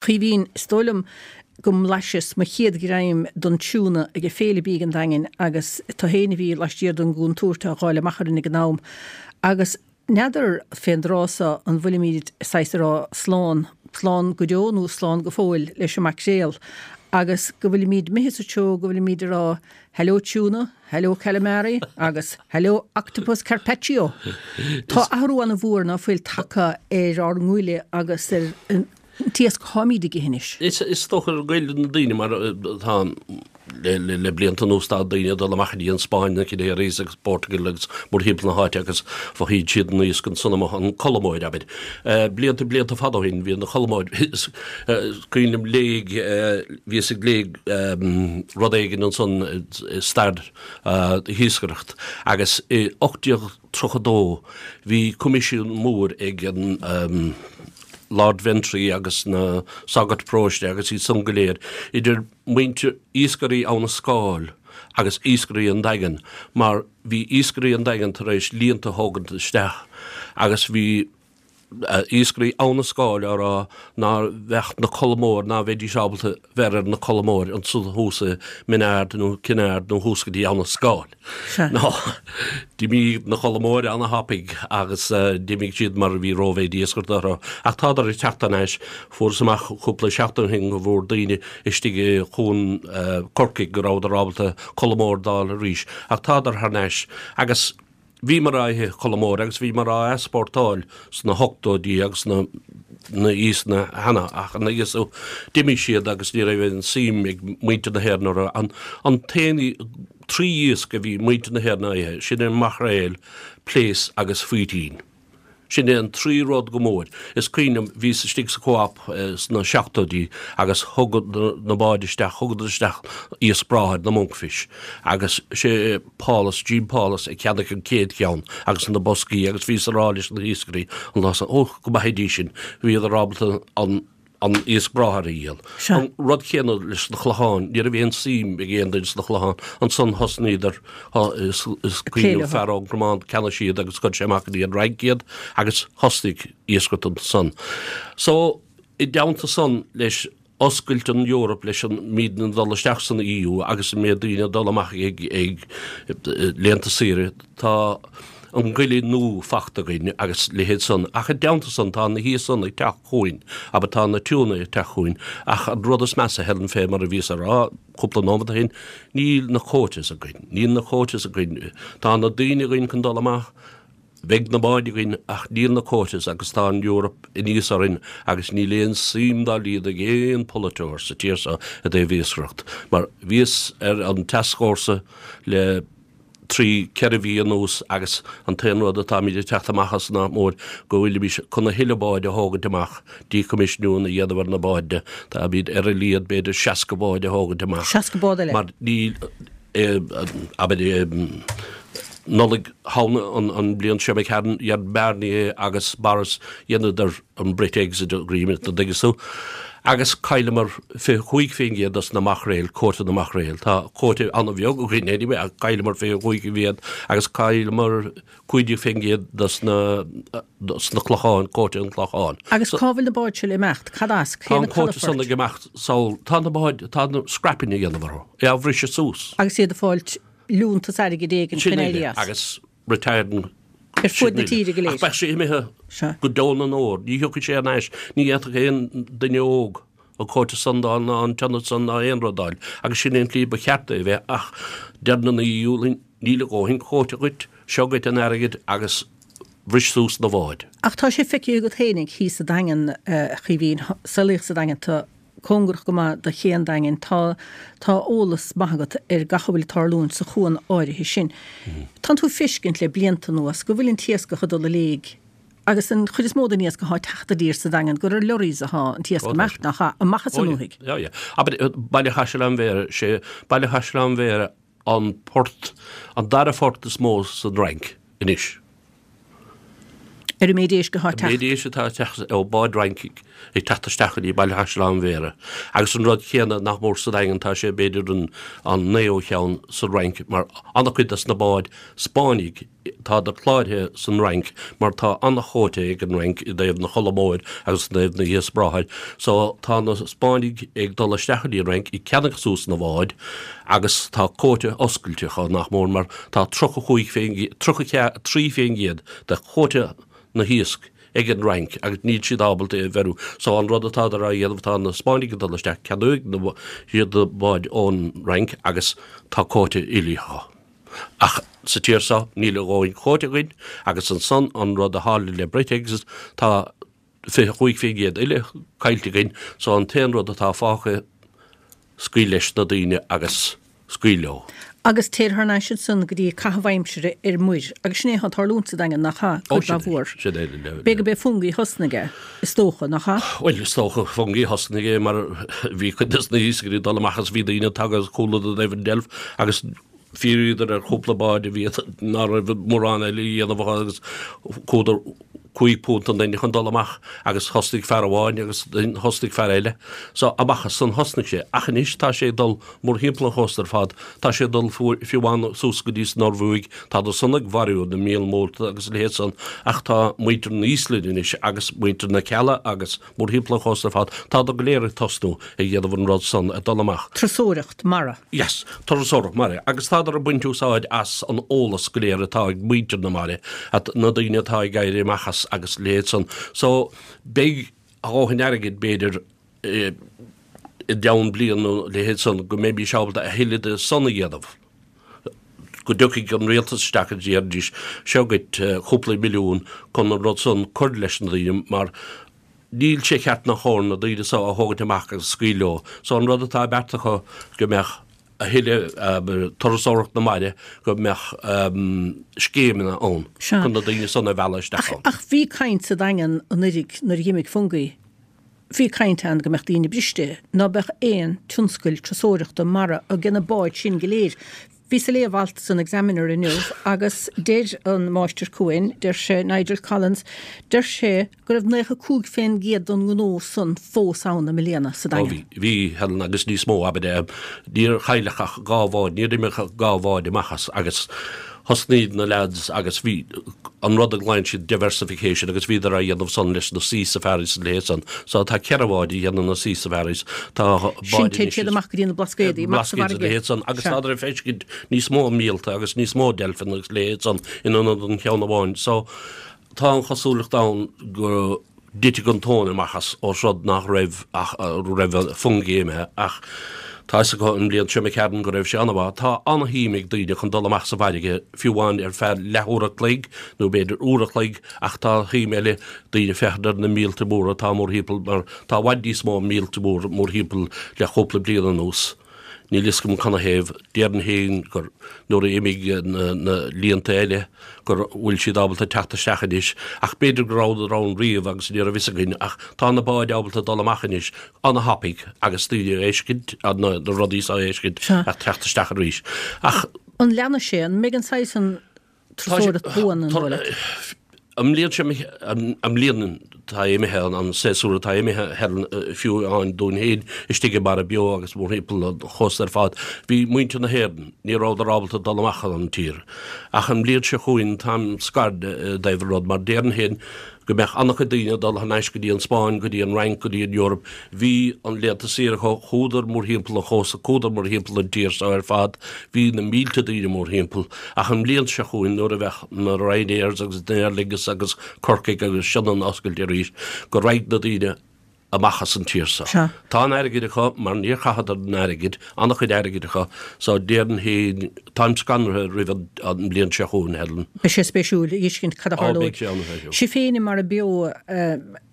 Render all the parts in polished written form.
Caoimhín, Is dóigh liom go mblaiseas mo chéad ghreim don tiúna ag an Féile Bídh an Daingin agus tú fhéin a bhí laistiar den gcúntúirt á dháileadh amach orainn ag an am. Agus n'fheadar fén dtráth so an bhfuilimíd saghas ag rá slán, slán go deo nó slán go fóill leis an maicréal agus go bhfuilimíd imithe sa treo go bhfuilimíd ag rá Hello tuna, hello calamari agus hello octopus carpaccio. Tá athrú ana mhór ná fuil tagtha ar ár ngoile agus ar an t-iasc atáimíd ag ithe anois. Is dócha gur goile na daoine mar tá le blianta anuas tá daoine ag dul amach go dtí an Spáinn, na Canaries agus Portugal agus mórthimpeall na háite agus faighidh siad an iasc ansan amuigh, an colmóir abair. Blianta blianta fada ó shin bhí an cholmóir is cuimhin liom léigh bhíos ag léigh rud éigin ansan i stair na hiascaireacht agus i 1832 bhí coimisiún mór ag an Lord Ventry agus na sagairt paróiste agus iad san go léir, idir muintir iascairí Abha na Scáil agus iascairí an Daingin, mar bhí iascairí an Daingin tar éis líonta a thógaint isteach agus bhí iascairí Abha na Scáil á rá ná bheadh na colmóir, ná bheidís ábalta bheith ar na colmóir ansan thuas i Minard nó Kinard nó thuas go dtí Abha na Scáil. Nó d'imigh na colmóir ana-thapaidh agus d'imigh siad mar bhí rómhéid iascaireachta orthu. Ach tádar ag teacht thar n-ais. Fuarthas amach cúpla seachtain ó shin go bhfuair daoine istigh i gCuan Corcaigh go rabhadar ábalta colmóir d'fháil arís. Ach tádar thar n-ais agus bhíomar á ithe colmóir agus bhíomar á easpórtáil sna hochtóidí agus sna na iascanna cheana ach ina dhiaidh so d'imigh siad agus ní raibh aon suim ag muintir na hÉireann orthu. An an t-aon 3 iasc a bhí muintir na hÉireann á ithe, sin é maicréal, plaice agus faoitín. Sin é an 3 rud go mór. Is cuimhin liom, bhíos istigh sa Co-op sna seachtóidí agus thug na báid isteach, thugadar isteach iasc bráthair, na monkfish, agus sé Paulus, Jim Paulus a cheannaigh an chéad cheann agus na boscaí agus bhíos a rá leis na hiascairí an lá san, ó, go maithidís sin, bhíodar ábalta an an iasc bráthair a dhíol. An rud céanna leis na clocháin, ní raibh aon suim ag aon duine sna clocháin. Ansan thosnaíodar, is cuimhin liom fear ón gCromán, cheannaigh siad agus chuir sé amach go dtí an Fhrainc iad agus thosnaigh iascaireacht ansan. So, i dteannta san leis oscailt an Eoraip leis an muidne ag dul isteach san EU agus an méid daoine ag dul amach ag ag laethanta saoire, tá an goile nua fachta againn agus leithéid san, ach i dteannta san tá na hiasc san ag teacht chugainn, abair tá na tiúna ag teacht chugainn, ach an rud is measa, Helen, fé mar a bhíos a rá cúpla nóiméad ó shin, níl na quotas againn, níl na quotas againn, tá na daoine againn chun dul amach, bheadh na báid againn ach níl na quotas agus tá an Eoraip aníos orainn agus níl aon suim dá laghad ag aon pholaiteoir sa tír seo i dtaobh iascaireacht mar bhíos ar an tascfhórsa le 3, 4 mhí anuas agus an t-aon rud atáimid ag teacht amach as ná mór go bhfuilimís chun a thuilleadh báid a thógaint amach, decommissioning a dhéanamh ar na báid. Táimid ar a laghad b'fhéidir 60 báid a thógaint amach. 60 bád eile? Mar níl, abair, Nollaig Shamhna an bhliain seo imigh tharainn, dhein Barnier agus Boris, dheineadar an Brit-Exit Agreement, an dtuigeann tú. Agus chailleamar 25% dos na maicréil, quota na maicréil. Tá quota an-bheag againn anyway ach chailleamar 25% agus chailleamar 15% dos na dos na clocháin, quota an chlocháin. Agus cá bhfuil na báid seo le imeacht? Cad as? Cé na Tá an quota san ag imeacht sall, tá na báid, tá na scrapping a dhéanamh orthu, é á bhriseadh suas. Agus iad ag fáilt liúntas airgid éigin chun éirí as. Agus retired Ar fuaid na tíre go léir. Ach beidh sé imithe go deo na ndeor. Ní thiocfaidh sé thar n-ais. Ní fhéadfadh aon duine óg an quota san d'fháil ná an t-ionad san ná aon rud d'fháil. Agus sin é an tslí ba cheart é a bheith ach deireann an EU linn, níl a dhóthain quota dhuit, seo dhuit an airgead agus bhris suas na bháid. Ach tá sé feicthe agat fhéinig thíos sa Daingean, a Chaoimhín, saolaíodh sa Daingean tú. cóngarach go maith do ché an Daingin, tá tá eolas maith agat ar gach a bhfuil ag tarlúint sa chuan áirithe sin. Tánn tú ag feiscint le blianta anuas go bhfuil an t-iascach ag dul i léig agus an chuid is mó den iasc athá ag teacht i dtír sa Daingean gur ar lorries athá an t-iasc ag imeacht, nach ea, amach as an ndúthaigh. Yeah, yeah. Abair, Baile Chaisleáin Bhéarra, sé Baile Chaisleáin Bhéarra an port, an dara phort is mó san Fhrainc anois. Ar an méid éisc atá ag teacht. An méid éisc atá ag teacht ó báid Fhraince ag teacht isteach go dtí Baile Chaisleáin Bhéarra. Agus an rud céanna nach mór sa Daingean, tá sé b'fhéidir an an naoú cheann sa Fhrainc mar an-chuid des na báid Spáinnigh tádar cláraithe san Fhrainc mar tá an-chóta ag an Fhrainc i dtaobh na cholla móir agus i dtaobh na hiasc bráthair. So tá na Spáinnigh ag dul isteach go dtí an Fhrainc ag ceannach suas na bháid agus tá cóta oscailte acu nach mór mar tá 35 33% de chóta na hiasc ag an Fhrainc agus níl siad ábalta é a bheiriú. So an rud atádar á dhéanamh tá na Spáinnigh ag dul isteach, ceannóidh siad na báid ón Fhrainc agus tá cóta uilig acu. Ach sa tír seo níl a dhóthain cóta againn agus ansan an rud a tharla le Brexit tá 25% uile caillte againn so an t-aon rud atá fágtha scaoil leis na daoine agus scaoil leo. Agus téir thar n-ais ansan go dtí caitheamh aimsire ar muir agus sin é atá ag tarlúint sa Daingean, nach ea? Ó Cuid sin mhaith é, mhór. sin é le, B'fhéidir gurb é Fungie a thosnaigh é, is dócha, nach ea? Bhuel, is dócha Fungie a thosnaigh é mar bhí cuid des na hiascairí ag dul amach agus bhí daoine ag tagadh chuala i dtaobh an deilf agus Fiafraíodar ar chúpla bád a bhí ná raibh mórán eile a dhéanamh acu agus chuadar £5 an duine chun dul amach agus thosnaigh fear amháin agus thosnaigh fear eile. So amach as san thosnaigh sé. Ach anois tá sé ag dul mórthimpeall an chósta ar fad. Tá sé ag dul fiú amháin suas go dtí san Ioruaidh. Tádar san ag mharú na míol mór agus a leithéid san ach tá muintir na hÍoslainne anois agus muintir na Cealla agus mórthimpeall an chósta ar fad, tádar go léir ag tosnú ag dhéanamh an rud san, ag dul amach. Turasóireacht mara. Yes, turasóireacht mara. Agus tádar ag baint úsáid as an eolas go léir atá ag muintir na mara, na daoine atá ag éirí amach as agus a leithéid san. So, beidh a dhóthain airgid, b'fhéidir, i gceann bliain nó a leithéid san, go mbeimís ábalta a thuilleadh de san a dhéanamh. go dtiocfaidh an rialtas isteach agus déarfaidís, seo dhuit cúpla milliún chun an rud san cur leis na daoine mar níl sé ceart ná chóir na daoine so a thógaint amach agus scaoil leo. So an rud atá beartaithe acu go mbeadh a thuilleadh turasóireacht na mara, go mbeadh scéimeanna ann chun na daoine san a mhealladh isteach ann. Ach bhí caint sa Daingean anuiridh nuair a dh'imigh Fungie, bhí caint ann go mbeadh daoine briste, ná beadh aon tionscail turasóireachta mara ag na báid sin go léir. Bhíos ag léamh alt san Examiner inniu agus deir an Máistir Cuain, deir sé, Nigel Collins, deir sé go raibh 95% den ngnó san fós ann i mbliana sa Ó Daingean. bhí, bhí, Helen, agus níos mó, abair, níor chailleadh ach dhá bhád, níor imigh ach dhá bhád amach as agus thosnaigh na leaids agus bhí an rud a ghlaonn siad diversification agus bhíodar á dhéanamh san leis na sea safaris is a leithéid san. So tá ceithre bhád a dhéanann na sea safaris, tá Sin báid téann anois siad is amach go dtí na Blascaodaí, amach sa Blascaoid is a bhfarraige. leithéid san agus Sea. tádar ag feiscint níos mó míolta agus níos mó deilfeanna agus a leithéid san in ionad an cheann amháin. So tá an chosúlacht ann go dtitfidh an tóin amach as ós rud nach raibh ach raibh Fungie imithe ach tá fhios acu an bhliain seo imigh tharainn go raibh sé an-mhaith. Tá an-shuim ag daoine chun dul amach sa bhfarraige fiú amháin ar feadh leathuair a chloig nó b'fhéidir uair a chloig ach tá suim eile daoine féachaint ar na míolta móra atá mórthimpeall mar tá i bhfad níos mó míolta mór mórthimpeall le cúpla bliain anuas. Níl fhios agam canathaobh. Déarfainn féin gur nuair a imigh na líonta eile gur bhfuil siad ábalta teacht isteach anois ach b'fhéidir go rabhadar ann riamh agus ní raibh fhios againn ach tá na báid ábalta dul amach anois ana-thapaidh agus daoine a fheiscint, na rudaí seo a fheiscint ach teacht isteach arís. Ach. An leanfaidh sé? An mbeidh an saghas an turasóireacht buan an dóigh leat? An mbliain seo imithe, an mbliain atá imithe, an séasúr atá imithe, Helen, fiú amháin dúinn féin istigh i Mara Beo agus mórthimpeall an chósta ar fad, bhí muintir na hÉireann, ní rabhadar ábalta dul amach an tír. Ach an mbliain seo chugainn, táim scanraithe i dtaobh an rud, mar déarfainn féin go mbeadh an-chuid daoine ag dul thar n-ais go dtí an Spáinn, go dtí an Fhrainc, go dtí an Eoraip. Bhí an laethanta saoire acu, chuadar mórthimpeall an chósta, chuadar mórthimpeall an tír seo ar fad, bhí na mílte daoine mórthimpeall. Ach an bhliain seo chugainn nuair a bheadh na Ryanairs agus na Aer Lingus agus Corcaigh agus Sionainn oscailte arís, go raghaidh na daoine amach as an tír seo. Tá an airgead acu mar níor chaitheadar an airgead, an-chuid airgid acu, so déarfainn féin, táim scanraithe roimh an mbliain seo chugainn, Helen. Beidh sé spéisiúil a fheiscint cad a Ó, tharlóidh. beidh sé an-spéisiúil. Sibh féin i Mara Beo,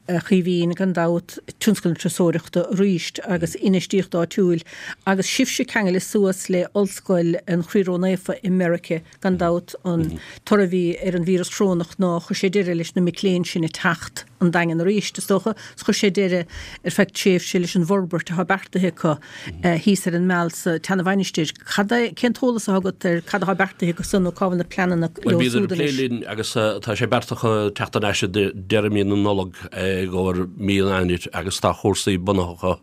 a Chaoimhín, gan dabht, tionscal na turasóireachta arís agus infheistíocht áitiúil agus sibhse ceangailte suas le Ollscoil an Chroí Ró-Naofa i Meirice, gan dabht, an toradh a bhí ar an víreas corónach ná chuir sé deireadh leis na mic léinn sin ag teacht. an Daingean arís, is dócha, 's chuir sé deireadh ar feadh tréimhse leis an bhforbairt atá beartaithe acu thíos ar an Meal sa tSeana-Mhainistir. Cad é, cén t-eolas atá agat ar cad atá beartaithe acu san nó cá bhfuil na pleananna Bhuel, leo bhíodar siúd ag plé anois? linn agus tá sé beartaithe acu teacht thar n-ais i deireadh mí na Nollag i gcomhair mí an Eanáir agus tá cúrsaí bunaithe acu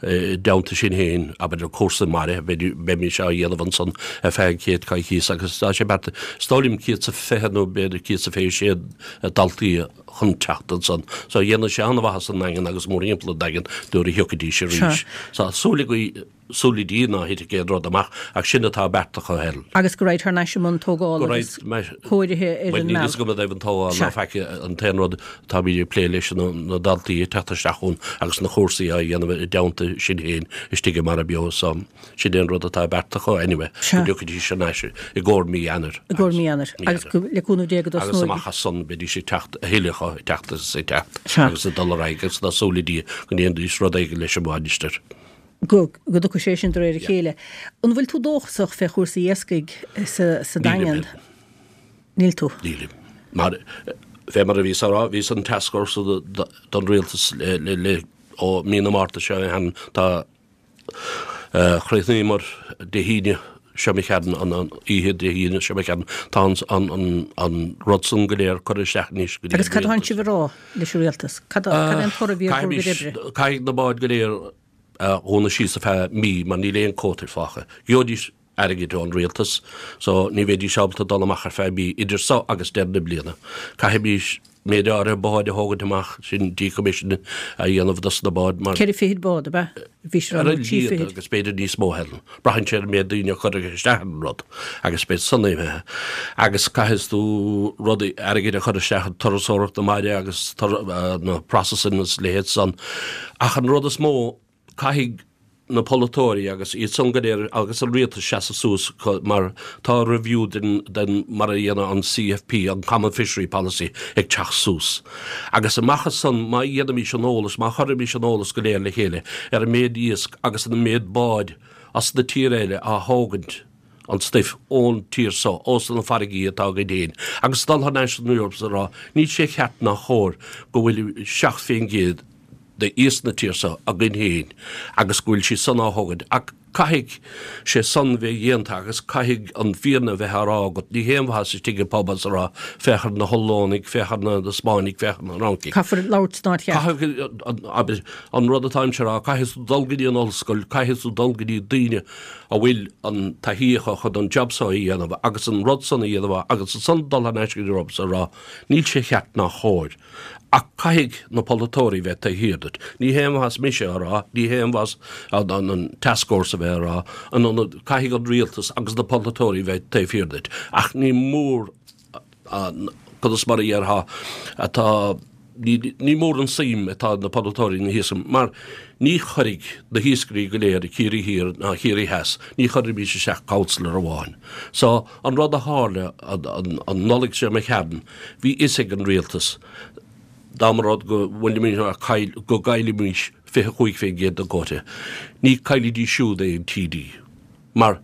i dteannta sin féin, abair, cúrsa mara, beimís á dhéanamh ansan ar feadh an chéad coicíos agus tá sé beartaithe, is dóigh liom, 120 nó b'fhéidir 126 daltaí chun teacht ansan. So dhéanfadh sé an-mhaitheas don nDaingean agus mórthimpeall an Daingin nuair a thiocfaidís arís. So súil againn, súil le Dia ná thitfidh aon rud amach ach sin atá beartaithe acu Helen. Agus go raghaid thar n-ais i mbun tógála agus cóirithe ar Bhuel an níl Meal. fhios agam i dtaobh an tógáil Sea. ná faic an t-aon rud atáimid ag plé leis ná na daltaí ag teacht isteach ann agus na cúrsaí á dhéanamh i dteannta sin féin istigh i Mara Beo so sin é an rud atá beartaithe acu anyway Sea. go dtiocfaidís thar n-ais i gcomhair mí Eanáir. I gcomhair mí Eanáir. Mí Agus Eanáir. go, le cúnamh Dé go Agus dtosnóidh. amach as san beidís ag teacht a thuilleadh acu ag teacht agus ag teacht Sea. agus ag dul ar aghaidh agus tá súil le Dia go ndéanfaidís rud éigin leis an mhainistir. Go, go dtiocfaidh sé sin de réir a chéile. An bhfuil tú dóchasach fé chúrsaí iascaigh sa, sa Nílim, Daingean? Níl tú. Nílim. Mar, fé mar a bhíos á rá, bhíos an tascfhórsa don rialtas le, le, le, ó mí na Márta seo cheana, tá, Chríochnaíomar Dé hAoine seo imigh tharainn, an oíche Dé hAoine seo imigh tharainn. Tá an rud san go léir curtha isteach anois go dtí an rialtas. Agus cad atánn sibh a rá leis an rialtas? Cad é an toradh a bhí ar bhur gcuid oibre? Caithfidh na báid go léir a dhúnadh síos ar feadh mí mar níl aon quota fágtha. Gheobhaidís airgead ón rialtas so ní bheidís ábalta dul amach ar feadh mí idir so agus deireadh na bliana. Caithfimís méid áirithe báid a thógaint amach, sin decommission a dhéanamh dos na báid mar. Ceithre fichid bád, ab ea? Bhí sé Ar a trí laghad fichid. agus b'fhéidir níos mó Helen. Braitheann sé ar an méid daoine a chuirfidh isteach ar an rud agus beidh san imithe. Agus caithfidh tú rudaí airgid a chur isteach i turasóireacht na mara agus na processing agus leithéid san. Ach an rud is mó, Caithfidh na polaiteoirí agus iad san go léir agus an rialtas seasamh suas mar tá review den den mar a dhéanadh an CFP, an Common Fishery Policy, ag teacht suas. Agus amach as san má dhéanaimís an eolas, má chuirimís an eolas go léir le chéile ar an méid iasc agus an méid báid as na tír eile á thógaint an stuif ón tír so, ós na farraigí atá againn féin, agus dul thar n-ais san Eoraip is a rá, níl sé cheart ná chóir go bhfuil 7% de iasc na tír so againn féin agus go bhfuil sí san á thógaint. Ach caithfidh sé san bheith dhéanta agus caithfidh an fírinne bheith á rá agat. Ní haon mhaitheas istigh i bpub is a rá, féach ar na hOllannaigh, féach ar na Spáinnigh, féach ar na Fhrancaigh. Caithfear labhairt san áit cheart. Caithfidh, an rud atáimse a rá, caithfidh tú dul go dtí an ollscoil, caithfidh tú dul go dtí daoine a bhfuil an taithí acu chun an job so a dhéanamh agus an rud san a dhéanamh agus ansan dul thar n-ais go dtí an Eoraip is a rá, níl sé cheart ná chóir. Ach caithfidh na polaiteoirí bheith taobh thiar duit. Ní haon mhaitheas mise a rá, ní haon mhaitheas an tascfhórsa a bheith a rá, in ionad, caithfidh an rialtas agus na polaiteoirí bheith taobh thiar duit. Ach ní mór an, conas mar a dhéarfá, atá, ní, ní mór an suim atá na polaiteoirí na hiasc, mar ní chuirfidh na hiascairí go léir i Ciarraí Thiar ná Ciarraí Theas, ní chuirfimís isteach councillor amháin. So, an rud a tharla an, an, an Nollaig seo imigh tharainn, bhí fhios ag an rialtas dá mba rud go bhfuilimid ag caill, go gcaillfimís 25% den quota, ní caillfidís siúd aon TD. Mar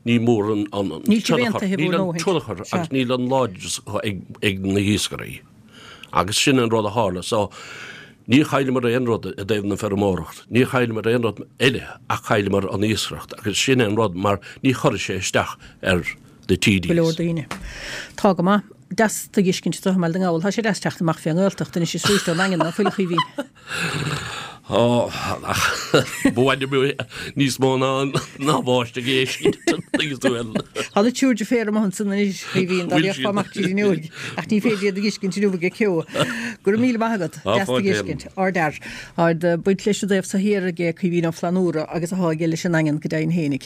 ní mór an tionchar, níl an tionchar agus níl an láidreas ag na hiascairí. Agus sin an rud a tharla. So, ní chailleamar aon rud i dtaobh na feirmeoireacht, ní chailleamar aon rud eile ach chailleamar an iascaireacht agus sin an rud mar ní chuirfidh sé isteach ar na TDs. Go leor daoine. Tá go maith. Deas tú a dh'fheiscint anseo i mBaile na nGall. Tá sé deas teacht amach fé an nGaeltacht anois is arís ón nDaingean, ná fuil a Chaoimhín? Ó, ach ba mhaith liom níos mó ná ná báisteach a fheiscint, tuigeann tú bhuel. Tá na triúr deirféar amuigh ansan anois, a Chaoimhín, dá bhféachfá amach tríd an fhuinneoig, ach ní féidir iad a dh'fheiscint inniu ag an ceo. Go raibh míle maith agat. Deas tú a dh'fheiscint. Ardfhear. Ard baint leis an dtaobh so thiar aige Caoimhín Ó Flannúra agus atá aige leis an nDaingean go deimhin fhéinig.